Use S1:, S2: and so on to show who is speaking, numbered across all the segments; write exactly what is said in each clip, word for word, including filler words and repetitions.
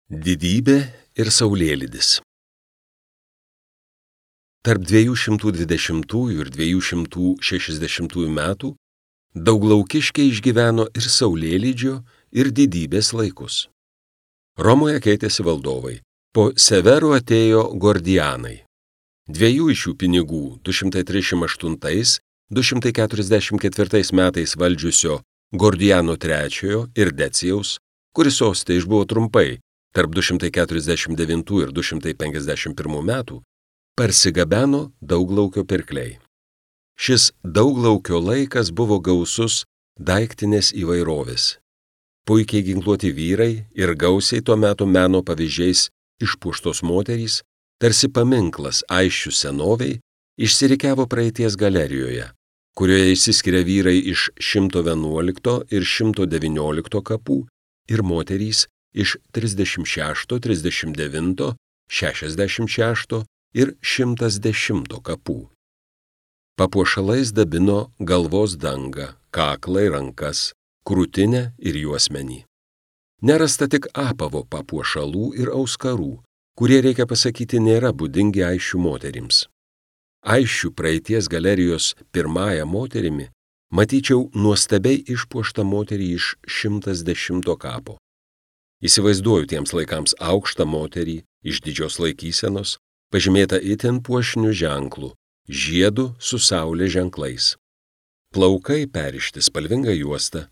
S1: Didybė ir saulėlydis. Tarp dviejų šimtų dvidešimtųjų ir dviejų šimtų šešiasdešimtųjų metų Dauglaukkiškiai išgyveno ir saulėlydžio, ir didybės laikus. Romoje keitėsi valdovai. Po Severų atėjo Gordianai. Dviejų iš jų pinigų du šimtai trisdešimt aštuntais - du šimtai keturiasdešimt ketvirtais metais valdžiusio Gordiano trečiojo ir Decijaus, kuris soste išbuvo trumpai, tarp du šimtai keturiasdešimt devintų ir du šimtai penkiasdešimt pirmų metų, parsigabeno Dauglaukio pirkliai. Šis Dauglaukio laikas buvo gausus daiktinės įvairovės. Puikiai ginkluoti vyrai ir gausiai tuo metu meno pavyzdžiais išpuoštos moterys, tarsi paminklas Aisčių senoviai, išsirikiavo praeities galerijoje, kurioje išsiskiria vyrai iš šimto vienuolikto ir šimto devyniolikto kapų ir moterys iš trisdešimt šešto, trisdešimt devinto, šešiasdešimt šešto ir šimtas dešimto kapų. Papuošalais dabino galvos dangą, kaklą ir rankas, krūtinę ir juosmenį. Nerasta tik apavo papuošalų ir auskarų, kurie, reikia pasakyti, nėra būdingi Aisčių moterims. Aisčių praeities galerijos pirmąją moterimi matyčiau nuostabiai išpuoštą moterį iš šimtas dešimto kapo. Įsivaizduoju tiems laikams aukštą moterį iš didžios laikysenos, pažymėta itin puošniu ženklu, žiedu su saulės ženklais. Plaukai perišti spalvinga juosta,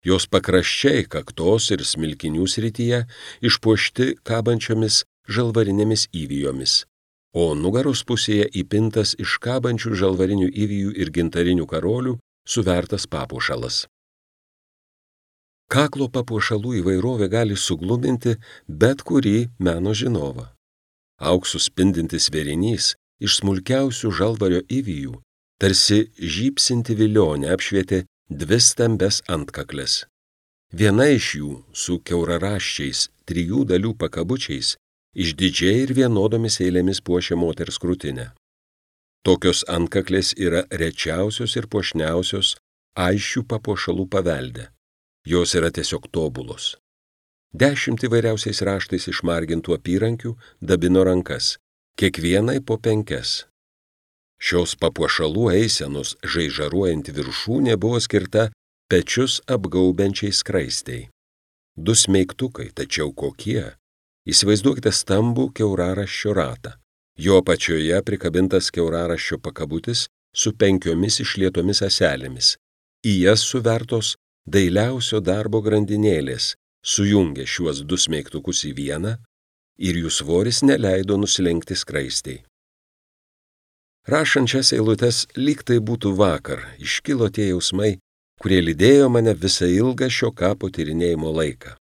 S1: jos pakraščiai kaktos ir smilkinių srityje išpuošti kabančiomis žalvarinėmis įvijomis, o nugaros pusėje įpintas iš kabančių žalvarinių įvijų ir gintarinių karolių suvertas papuošalas. Kaklo papuošalų įvairovė gali sugluminti bet kurį meno žinovą. Auksu spindintis vėrinys iš smulkiausių žalvario įvijų, tarsi žybsinti vilionė apšvietė dvi stambes antkaklės. Viena iš jų su kiauraraščiais trijų dalių pakabučiais išdidžiai ir vienodomis eilėmis puošia moters krūtinę. Tokios antkaklės yra rečiausios ir puošniausios Aisčių papuošalų pavelde. Jos yra tiesiog tobulos. Dešimt įvairiausiais raštais išmargintų apyrankių dabino rankas, kiekvienai po penkias. Šios papuošalų eisenos žaižaruojanti viršūnė buvo skirta pečius apgaubiančiai skraistei. Du smeigtukai, tačiau kokie? Įsivaizduokite stambų kiauraraščio ratą. Jo apačioje prikabintas kiauraraščio pakabutis su penkiomis išlietomis ąselėmis. Į jas suvertos dailiausio darbo grandinėlės sujungė šiuos du smeigtukus į vieną ir jų svoris neleido nusilenkti skraistei. Rašant šias eilutes, lyg tai būtų vakar, iškilo tie jausmai, kurie lydėjo mane visą ilgą šio kapo tyrinėjimo laiką.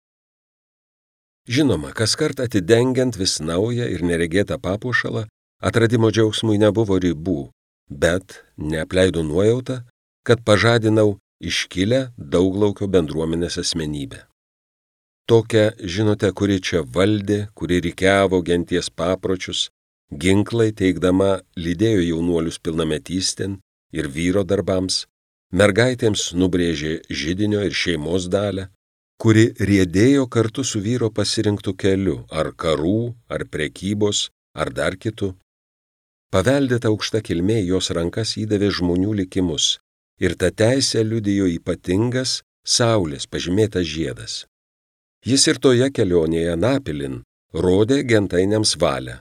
S1: Žinoma, kaskart atidengiant vis naują ir neregėtą papuošalą, atradimo džiaugsmui nebuvo ribų, bet neapleido nuojauta, kad pažadinau iškilę Dauglaukio bendruomenės asmenybę. Tokią, žinote, kuri čia valdė, kuri rikiavo genties papročius, ginklai teikdama lydėjo jaunuolius pilnametystėn ir vyro darbams, mergaitėms nubrėžė židinio ir šeimos dalę, kuri riedėjo kartu su vyro pasirinktų keliu, ar karų, ar prekybos, ar dar kitu. Paveldėta aukšta kilmė jos rankas įdavė žmonių likimus, ir tą teisę liudijo ypatingas saulės pažymėtas žiedas. Jis ir toje kelionėje Napilin rodė gentainiams valią.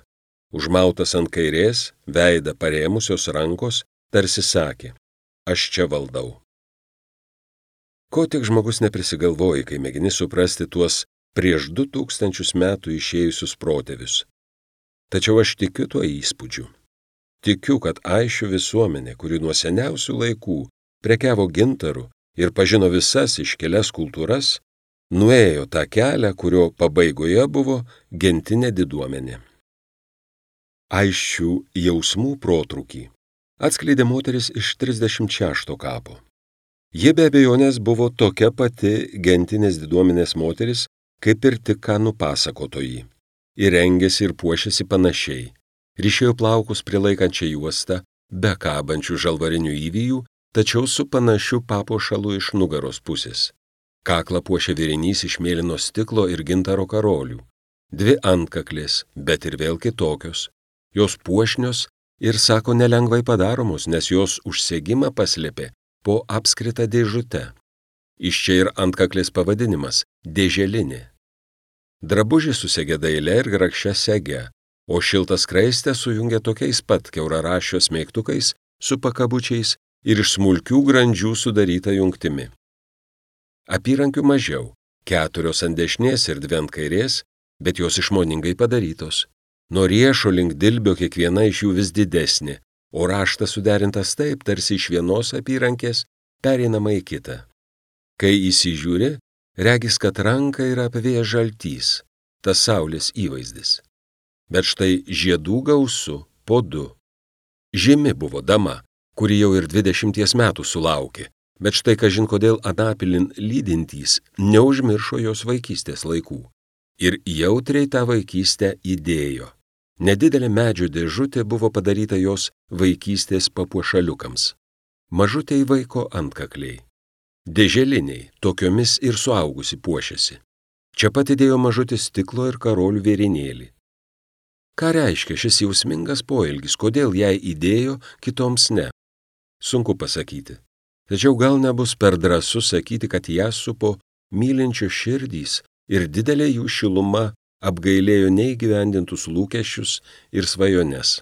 S1: Užmautas ant kairės, veidą parėmusios rankos, tarsi sakė, aš čia valdau. Ko tik žmogus neprisigalvoja, kai mėgini suprasti tuos prieš du tūkstančius metų išėjusius protėvius. Tačiau aš tikiu tuo įspūdžiu. Tikiu, kad Aisčių visuomenė, kuri nuo seniausių laikų prekiavo gintaru ir pažino visas iškilias kultūras, nuėjo tą kelią, kurio pabaigoje buvo gentinė diduomenė. Aisčių jausmų protrūkį atskleidė moteris iš trisdešimt šešto kapo. Ji be abejonės buvo tokia pati gentinės diduomenės moteris, kaip ir tik ką nupasakotoji. Ir rengėsi ir puošėsi panašiai. Ryšėjo plaukus prilaikančią juostą, be kabančių žalvarinių įvijų, tačiau su panašiu papuošalu iš nugaros pusės. Kaklą puošė vėrinys iš mėlyno stiklo ir gintaro karolių. Dvi antkaklės, bet ir vėl kitokios. Jos puošnios ir, sako, nelengvai padaromos, nes jos užsegimą paslėpė po apskritą dėžutę. Iš čia ir antkaklės pavadinimas – dėželinė. Drabužį susegė daile ir grakščia sege, o šiltą skraistę sujungė tokiais pat kiauraraščio smeigtukais su pakabučiais ir iš smulkių grandžių sudaryta jungtimi. Apyrankių mažiau, keturios ant dešinės ir dvi ant kairės, bet jos išmoningai padarytos. Nuo riešo link dilbio kiekviena iš jų vis didesnė, o raštas suderintas taip, tarsi iš vienos apyrankės pereinama į kitą. Kai įsižiūri, regis, kad ranka yra apvėjęs žaltys, tas saulės įvaizdis. Bet štai žiedų gausu po du. Žymi buvo dama, kuri jau ir dvidešimties metų sulaukė, bet štai kažin kodėl anapilin lydintys neužmiršo jos vaikystės laikų. Ir jautriai tą vaikystę įdėjo. Nedidelė medžio dėžutė buvo padaryta jos vaikystės papuošaliukams. Mažutei vaiko antkakliai. Dėželiniai, tokiomis ir suaugusi puošėsi. Čia pat įdėjo mažutį stiklo ir karolių vėrinėlį. Ką reiškia šis jausmingas poelgis, kodėl jai įdėjo, kitoms ne? Sunku pasakyti. Tačiau gal nebus per drąsu sakyti, kad ją supo mylinčios širdys ir didelė jų šiluma apgailėjo neįgyvendintus lūkesčius ir svajones.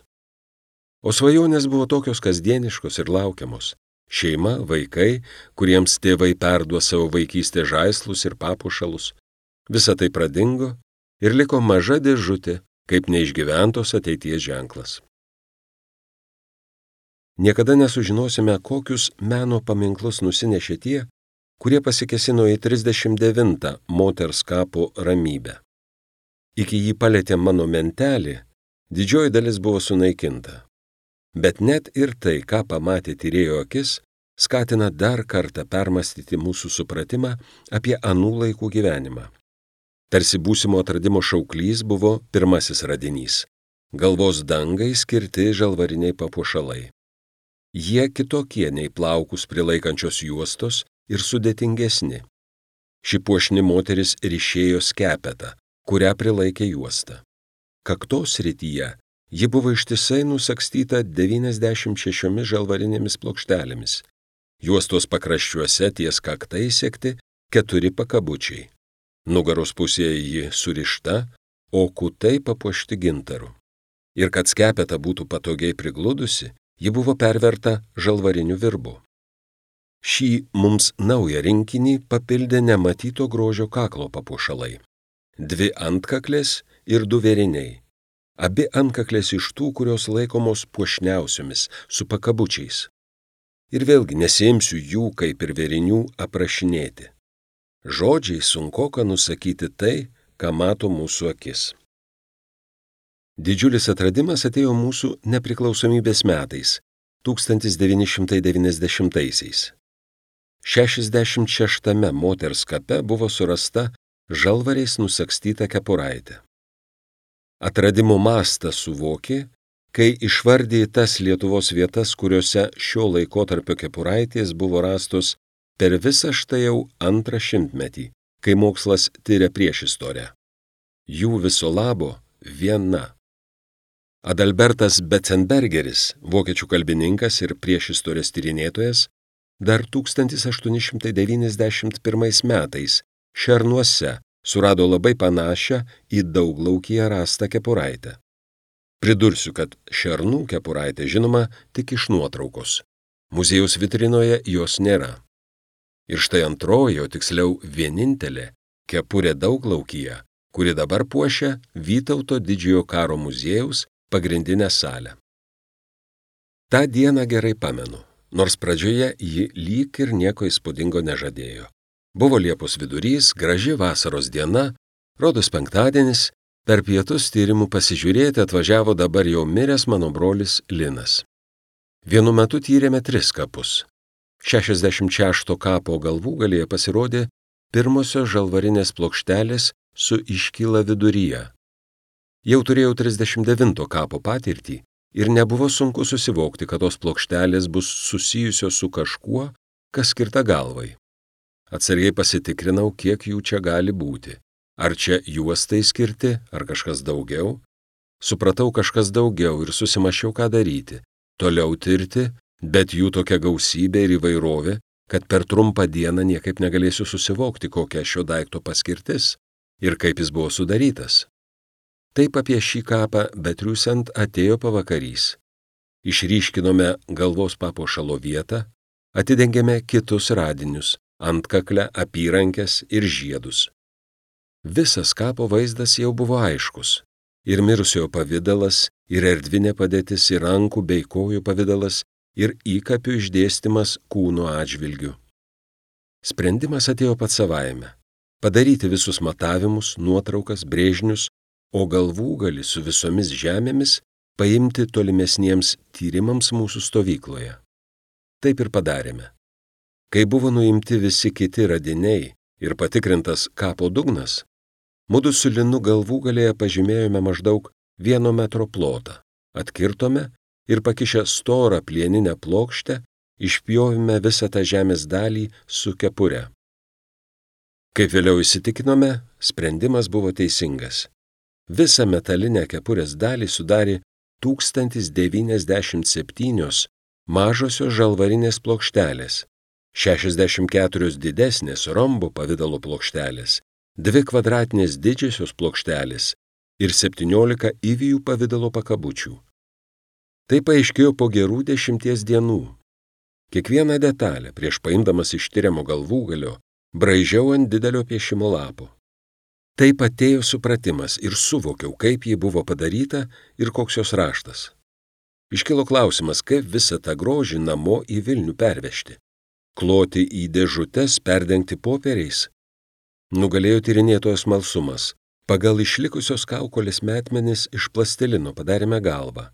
S1: O svajonės buvo tokios kasdieniškos ir laukiamos. Šeima, vaikai, kuriems tėvai perduos savo vaikystės žaislus ir papuošalus. Visa tai pradingo ir liko maža dėžutė, kaip neišgyventos ateities ženklas. Niekada nesužinosime, kokius meno paminklus nusinešė tie, kurie pasikėsino į trisdešimt devintą moters kapo ramybę. Iki jį palėtė mano mentelį, didžioji dalis buvo sunaikinta. Bet net ir tai, ką pamatė tyrėjo akis, skatina dar kartą permastyti mūsų supratimą apie anų laikų gyvenimą. Tarsi būsimo atradimo šauklys buvo pirmasis radinys – galvos dangai skirti žalvariniai papuošalai. Jie kitokie nei plaukus prilaikančios juostos ir sudėtingesni. Ši puošni moteris ryšėjo skepetą, kurią prilaikė juosta. Kaktos srityje ji buvo ištisai nusagstyta devyniasdešimt šešiomis žalvarinėmis plokštelėmis. Juostos pakraščiuose ties kaktai sekti keturi pakabučiai. Nugaros pusėje ji surišta, o kutai papuošti gintaru. Ir kad skepeta būtų patogiai prigludusi, ji buvo perverta žalvariniu virbu. Šį mums naują rinkinį papildė nematyto grožio kaklo papuošalai. Dvi antkaklės ir du vėriniai. Abi antkaklės iš tų, kurios laikomos puošniausiomis, su pakabučiais. Ir vėlgi nesiimsiu jų, kaip ir vėrinių, aprašinėti. Žodžiai sunkoka nusakyti tai, ką mato mūsų akis. Didžiulis atradimas atėjo mūsų nepriklausomybės metais, tūkstantis devyni šimtai devyniasdešimtaisiais. šešiasdešimt šeštame moters kape buvo surasta žalvariais nusagstyta kepuraitė. Atradimo mastą suvokė, kai išvardė tas Lietuvos vietas, kuriuose šio laikotarpio kepuraitės buvo rastos per visą štai jau antrą šimtmetį, kai mokslas tiria priešistorę. Jų viso labo viena. Adalbertas Betzenbergeris, vokiečių kalbininkas ir priešistorės tyrinėtojas, dar tūkstantis aštuoni šimtai devyniasdešimt pirmais metais Šernuose surado labai panašią į Dauglaukyje rastą kepuraitę. Pridursiu, kad Šernų kepuraitė žinoma tik iš nuotraukos. Muziejaus vitrinoje jos nėra. Ir štai antroji, o tiksliau vienintelė, kepurė Dauglaukyje, kuri dabar puošia Vytauto didžiojo karo muziejaus pagrindinę salę. Ta dieną gerai pamenu, nors pradžioje ji lyg ir nieko įspūdingo nežadėjo. Buvo Liepos vidurys, graži vasaros diena, rodos penktadienis, per pietus tyrimų pasižiūrėti atvažiavo dabar jau miręs mano brolis Linas. Vienu metu tyrėme tris kapus. šešiasdešimt šešto kapo galvūgalyje pasirodė pirmosios žalvarinės plokštelės su iškyla viduryje. Jau turėjau trisdešimt devinto kapo patirtį ir nebuvo sunku susivokti, kad tos plokštelės bus susijusios su kažkuo, kas skirta galvai. Atsargiai pasitikrinau, kiek jų čia gali būti. Ar čia juostai skirti, ar kažkas daugiau? Supratau kažkas daugiau ir susimašiau, ką daryti. Toliau tirti, bet jų tokia gausybė ir įvairovė, kad per trumpą dieną niekaip negalėsiu susivokti, kokia šio daikto paskirtis ir kaip jis buvo sudarytas. Taip apie šį kapą betriūsiant atėjo pavakarys. Išryškinome galvos papuošalo vietą, atidengėme kitus radinius, antkaklę, apyrankes ir žiedus. Visas kapo vaizdas jau buvo aiškus. Ir mirusiojo pavidalas, ir erdvinė padėtis, ir rankų bei kojų pavidalas, ir įkapių išdėstymas kūno atžvilgiu. Sprendimas atėjo pats savaime. Padaryti visus matavimus, nuotraukas, brėžinius, o galvūgalį su visomis žemėmis paimti tolimesniems tyrimams mūsų stovykloje. Taip ir padarėme. Kai buvo nuimti visi kiti radiniai ir patikrintas kapo dugnas, mudu su Linu galvūgalėje pažymėjome maždaug vieno metro plotą, atkirtome ir pakišę storą plieninę plokštę, išpjovėme visą tą žemės dalį su kepure. Kaip vėliau įsitikinome, sprendimas buvo teisingas. Visą metalinę kepurės dalį sudarė tūkstantis devyniasdešimt septynios mažosios žalvarinės plokštelės, šešiasdešimt keturios didesnės rombo pavidalo plokštelės, dvi kvadratinės didžiosios plokštelės ir septyniolika įvijų pavidalo pakabučių. Tai paaiškėjo po gerų dešimties dienų. Kiekvieną detalę prieš paimdamas iš tiriamo galvūgalio braižiau ant didelio piešimo lapo. Taip atėjo supratimas ir suvokiau, kaip ji buvo padaryta ir koks jos raštas. Iškilo klausimas, kaip visą tą grožį namo į Vilnių pervežti. Kloti į dėžutes, perdengti popieriais. Nugalėjo tyrinėtojo smalsumas. Pagal išlikusios kaukolės metmenis iš plastilino padarėme galvą,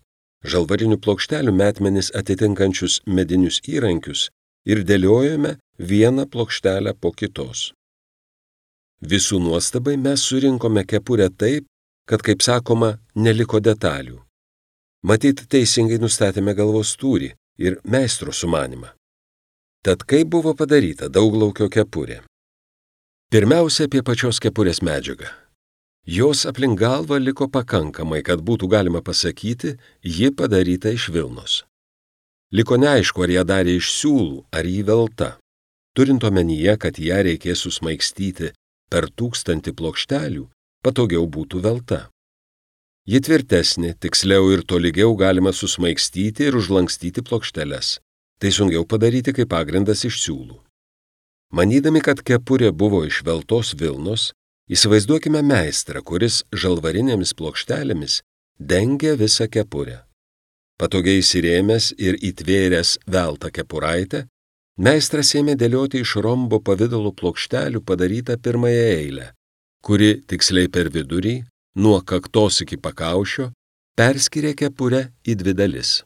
S1: žalvarinių plokštelių metmenis atitinkančius medinius įrankius ir dėliojome vieną plokštelę po kitos. Visų nuostabai mes surinkome kepurę taip, kad, kaip sakoma, neliko detalių. Matyt, teisingai nustatėme galvos tūrį ir meistro sumanimą. Tad kaip buvo padaryta dauglaukio kepurė? Pirmiausia, apie pačios kepurės medžiagą. Jos aplink galvą liko pakankamai, kad būtų galima pasakyti, ji padaryta iš vilnos. Liko neaišku, ar ją darė iš siūlų, ar jį velta. Turint omenyje, kad ją reikės susmaigstyti per tūkstantį plokštelių, patogiau būtų velta. Ji tvirtesnė, tiksliau ir tolygiau galima susmaigstyti ir užlankstyti plokšteles. Tai sunkiau padaryti kaip pagrindas iš siūlų. Manydami, kad kepurė buvo iš veltos vilnos, įsivaizduokime meistrą, kuris žalvarinėmis plokštelėmis dengia visą kepurę. Patogiai įsirėmęs ir įtvėręs veltą kepuraitę, meistras ėmė dėlioti iš rombo pavidalo plokštelių padarytą pirmąją eilę, kuri tiksliai per vidurį, nuo kaktos iki pakaušio, perskyrė kepurę į dvi dalis.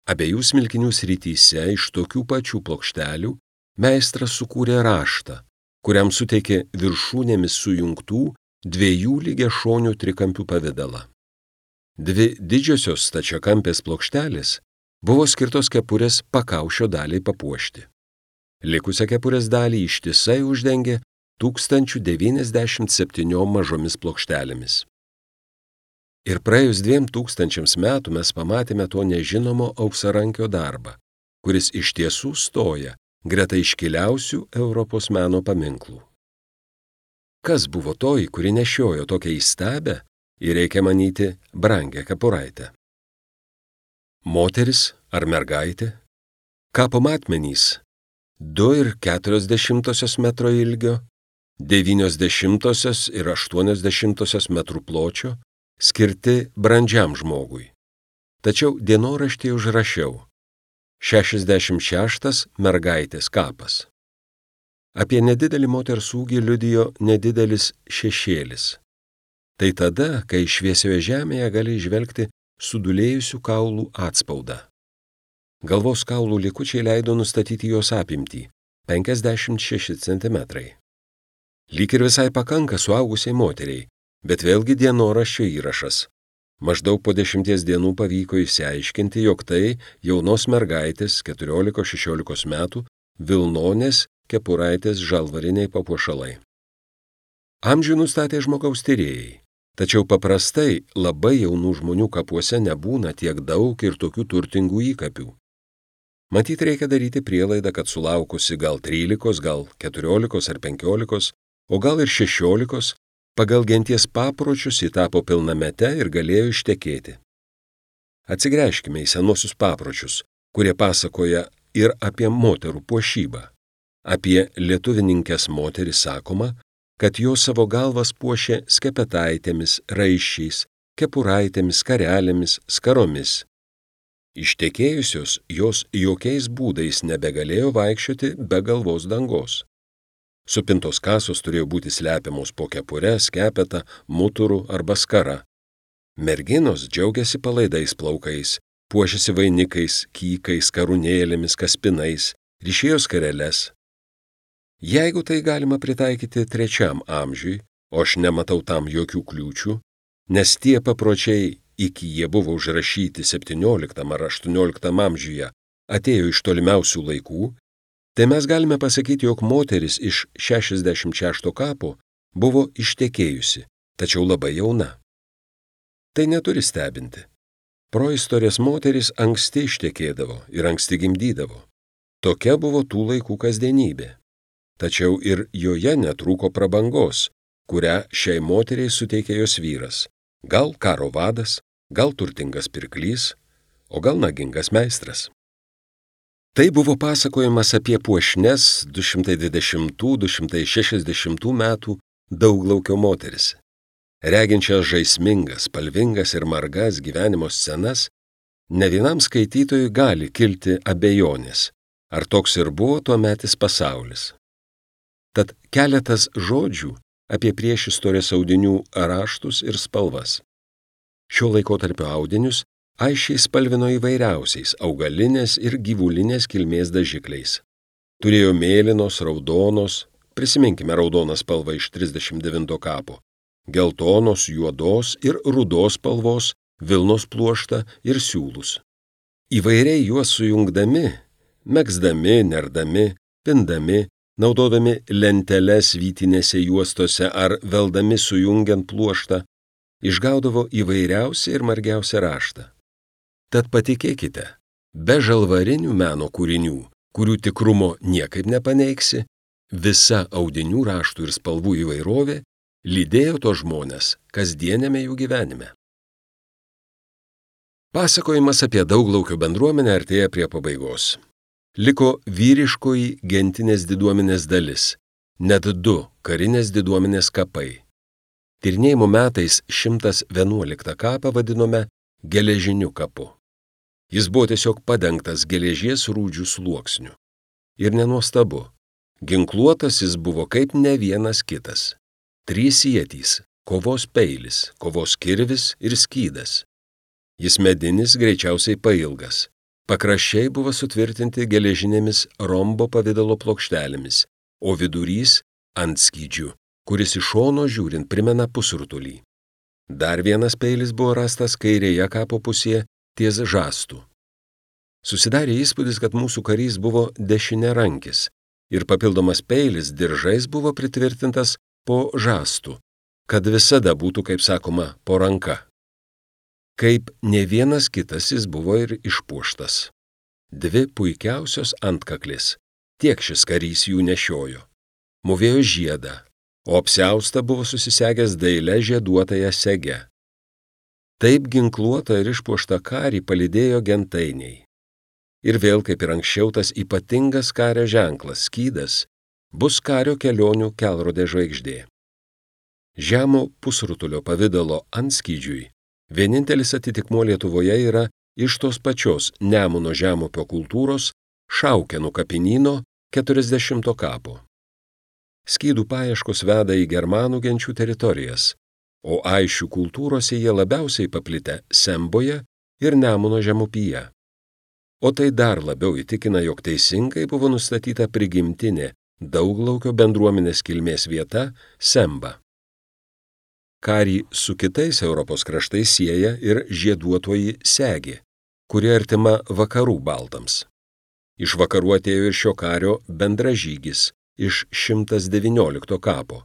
S1: Abiejų smilkinių srityse iš tokių pačių plokštelių meistras sukūrė raštą, kuriam suteikė viršūnėmis sujungtų dviejų lygiašonių trikampių pavidalą. Dvi didžiosios stačiakampės plokštelės buvo skirtos kepurės pakaušio daliai papuošti. Likusią kepurės dalį ištisai uždengė tūkstantis devyniasdešimt septyniom mažomis plokštelėmis. Ir praėjus dviem tūkstančiams metų mes pamatėme to nežinomo auksarankio darbą, kuris iš tiesų stoja greta iškiliausių Europos meno paminklų. Kas buvo toji, kuri nešiojo tokią įstabią ir, reikia manyti, brangią kepuraitę? Moteris ar mergaitė? Kapo matmenys du ir keturios dešimtosios metro ilgio, devynios dešimtosios ir aštuonios dešimtosios metrų pločio, skirti brandžiam žmogui. Tačiau dienoraštyje užrašiau šešiasdešimt šeštas mergaitės kapas. Apie nedidelį moters ūgį liudijo nedidelis šešėlis. Tai tada, kai šviesioje žemėje gali įžvelgti sudulėjusių kaulų atspaudą. Galvos kaulų likučiai leido nustatyti jos apimtį – penkiasdešimt šeši centimetrai. Lyg ir visai pakanka suaugusiai moteriai, bet vėlgi dienoraščio įrašas. Maždaug po dešimties dienų pavyko išsiaiškinti, jog tai jaunos mergaitės keturiolikos šešiolikos metų vilnonės kepuraitės žalvariniai papuošalai. Amžių nustatė žmogaus tyrėjai, tačiau paprastai labai jaunų žmonių kapuose nebūna tiek daug ir tokių turtingų įkapių. Matyt, reikia daryti prielaidą, kad sulaukusi gal trylikos, gal keturiolikos ar penkiolikos, o gal ir šešiolikos, pagal genties papročius ji tapo pilnamete ir galėjo ištekėti. Atsigręžkime į senuosius papročius, kurie pasakoja ir apie moterų puošybą. Apie lietuvininkės moteris sakoma, kad jos savo galvas puošė skepetaitėmis, raiščiais, kepuraitėmis, karelėmis, skaromis. Ištekėjusios jos jokiais būdais nebegalėjo vaikščioti be galvos dangos. Supintos kasos turėjo būti slepiamos po kepure, skepeta, muturu arba skara. Merginos džiaugiasi palaidais plaukais, puošėsi vainikais, kykais, karūnėlėmis, kaspinais, ryšėjo skareles. Jeigu tai galima pritaikyti trečiam amžiui, o aš nematau tam jokių kliūčių, nes tie papročiai, iki jie buvo užrašyti septynioliktam ar aštuonioliktam amžiuje, atėjo iš tolimiausių laikų, tai mes galime pasakyti, jog moteris iš šešiasdešimt šešto kapo buvo ištekėjusi, tačiau labai jauna. Tai neturi stebinti. Proistorės moterys anksti ištekėdavo ir anksti gimdydavo. Tokia buvo tų laikų kasdienybė. Tačiau ir joje netrūko prabangos, kurią šiai moteriai suteikė jos vyras. Gal karo vadas, gal turtingas pirklys, o gal nagingas meistras. Tai buvo pasakojimas apie puošnes du šimtai dvidešimtų - du šimtai šešiasdešimtų metų dauglaukio moteris. Reginčias žaismingas, spalvingas ir margas gyvenimo scenas, ne vienam skaitytojui gali kilti abejonės, ar toks ir buvo tuometis pasaulis. Tad keletas žodžių apie priešistorės audinių raštus ir spalvas. Šio laikotarpio audinius aiškiai spalvino įvairiausiais augalinės ir gyvulinės kilmės dažikliais. Turėjo mėlynos, raudonos, prisiminkime raudoną spalvą iš trisdešimt devinto kapo, geltonos, juodos ir rudos spalvos, vilnos pluoštą ir siūlus. Įvairiai juos sujungdami, megzdami, nerdami, pindami, naudodami lenteles vytinėse juostose ar veldami sujungiant pluoštą, išgaudavo įvairiausią ir margiausią raštą. Tad patikėkite, be žalvarinių meno kūrinių, kurių tikrumo niekaip nepaneigsi, visa audinių raštų ir spalvų įvairovė lydėjo to žmonės kasdienėme jų gyvenime. Pasakojimas apie dauglaukio bendruomenę artėja prie pabaigos. Liko vyriškoji gentinės diduomenės dalis, net du karinės diduomenės kapai. Tyrinėjimo metais šimtas vienuoliktą kapą vadinome geležiniu kapu. Jis buvo tiesiog padengtas geležies rūdžių sluoksniu. Ir nenuostabu, ginkluotas jis buvo kaip ne vienas kitas. Trys ietys, kovos peilis, kovos kirvis ir skydas. Jis medinis, greičiausiai pailgas. Pakraščiai buvo sutvirtinti geležinėmis rombo pavidalo plokštelėmis, o vidurys ant skydžių, kuris iš šono žiūrint primena pusrutulį. Dar vienas peilis buvo rastas kairėje kapo pusėje ties žastų. Susidarė įspūdis, kad mūsų karys buvo dešiniarankis ir papildomas peilis diržais buvo pritvirtintas po žastų, kad visada būtų, kaip sakoma, po ranka. Kaip ne vienas kitas jis buvo ir išpuoštas. Dvi puikiausios antkaklės, tiek šis karys jų nešiojo. Mūvėjo žiedą, o apsiaustą buvo susisegęs daile žieduotąją segę. Taip ginkluotą ir išpuoštą karį palydėjo gentainiai. Ir vėl, kaip ir anksčiau, tas ypatingas kario ženklas, skydas, bus kario kelionių kelrodė žvaigždė. Žemo pusrutulio pavidalo antskydžiui vienintelis atitikmuo Lietuvoje yra iš tos pačios Nemuno žemupio kultūros Šaukenų kapinyno keturiasdešimto kapo. Skydų paieškos veda į germanų genčių teritorijas, o aišių kultūrose jie labiausiai paplitę Semboje ir Nemuno žemupyje. O tai dar labiau įtikina, jog teisingai buvo nustatyta prigimtinė dauglaukio bendruomenės kilmės vieta Semba. Karį su kitais Europos kraštais sieja ir žieduotoji segė, kuri artima vakarų baltams. Iš vakarų atėjo ir šio kario bendražygis iš šimtas devyniolikto kapo.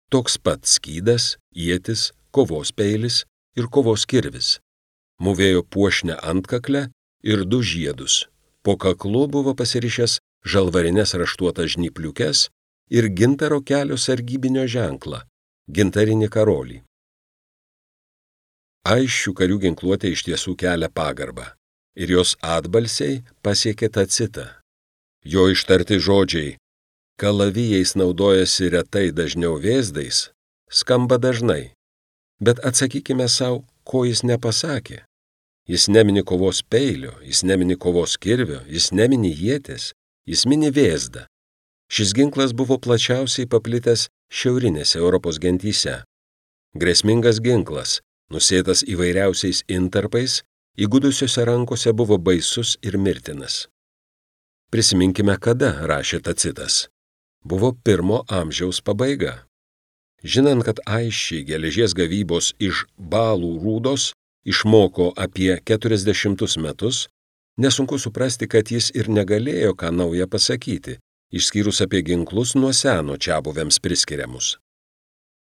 S1: Toks pat skydas, ietis, kovos peilis ir kovos kirvis. Mūvėjo puošnę antkaklę ir du žiedus. Po kaklu buvo pasirišęs žalvarines raštuotas žnypliukes ir gintaro kelio sargybinio ženklą – gintarinį karolį. Aisčių karių ginkluotė iš tiesų kelia pagarbą ir jos atbalsiai pasiekė Tacitą. Jo ištarti žodžiai kalavijais naudojasi retai, dažniau vėzdais, skamba dažnai, bet atsakykime savo, ko jis nepasakė. Jis nemini kovos peilio, jis nemini kovos kirvio, jis nemini ieties, jis mini vėzdą. Šis ginklas buvo plačiausiai paplitęs šiaurinėse Europos gentyse. Grėsmingas ginklas, nusėtas įvairiausiais intarpais, įgudusiose rankose buvo baisus ir mirtinas. Prisiminkime, kada rašė Tacitas. Buvo pirmo amžiaus pabaiga. Žinant, kad aisčiai geležies gavybos iš balų rūdos išmoko apie keturiasdešimtus metus, nesunku suprasti, kad jis ir negalėjo ką naują pasakyti, išskyrus apie ginklus nuo seno čiabuviams priskiriamus.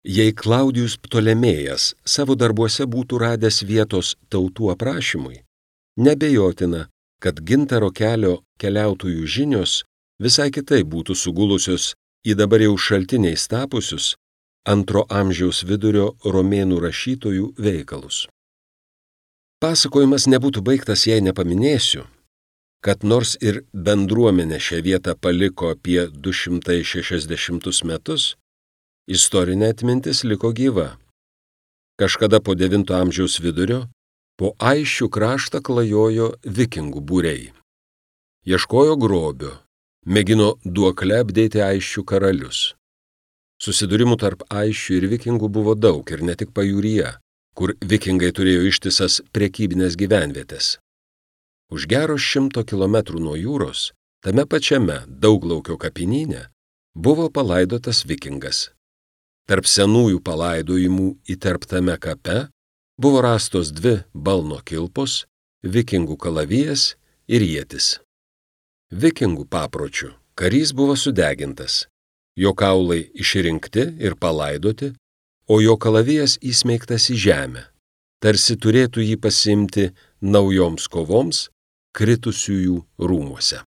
S1: Jei Klaudijus Ptolemėjas savo darbuose būtų radęs vietos tautų aprašymui, nebejotina, kad gintaro kelio keliautojų žinios visai kitaip būtų sugulusios į dabar jau šaltiniais tapusius antro amžiaus vidurio romėnų rašytojų veikalus. Pasakojimas nebūtų baigtas, jei nepaminėsiu, kad nors ir bendruomenė šią vietą paliko apie du šimtai šešiasdešimtus metus, istorinė atmintis liko gyva. Kažkada po devinto amžiaus vidurio po Aisčių kraštą klajojo vikingų būriai. Ieškojo grobio, mėgino duokle apdėti Aisčių karalius. Susidūrimų tarp Aisčių ir vikingų buvo daug ir ne tik pajūryje, kur vikingai turėjo ištisas prekybinės gyvenvietės. Už gero šimto kilometrų nuo jūros, tame pačiame Dauglaukio kapinyne, buvo palaidotas vikingas. Tarp senųjų palaidojimų įterptame kape buvo rastos dvi balno kilpos, vikingų kalavijas ir ietis. Vikingų papročių karys buvo sudegintas, jo kaulai išrinkti ir palaidoti, o jo kalavijas įsmeigtas į žemę, tarsi turėtų jį pasiimti naujoms kovoms kritusiųjų rūmuose.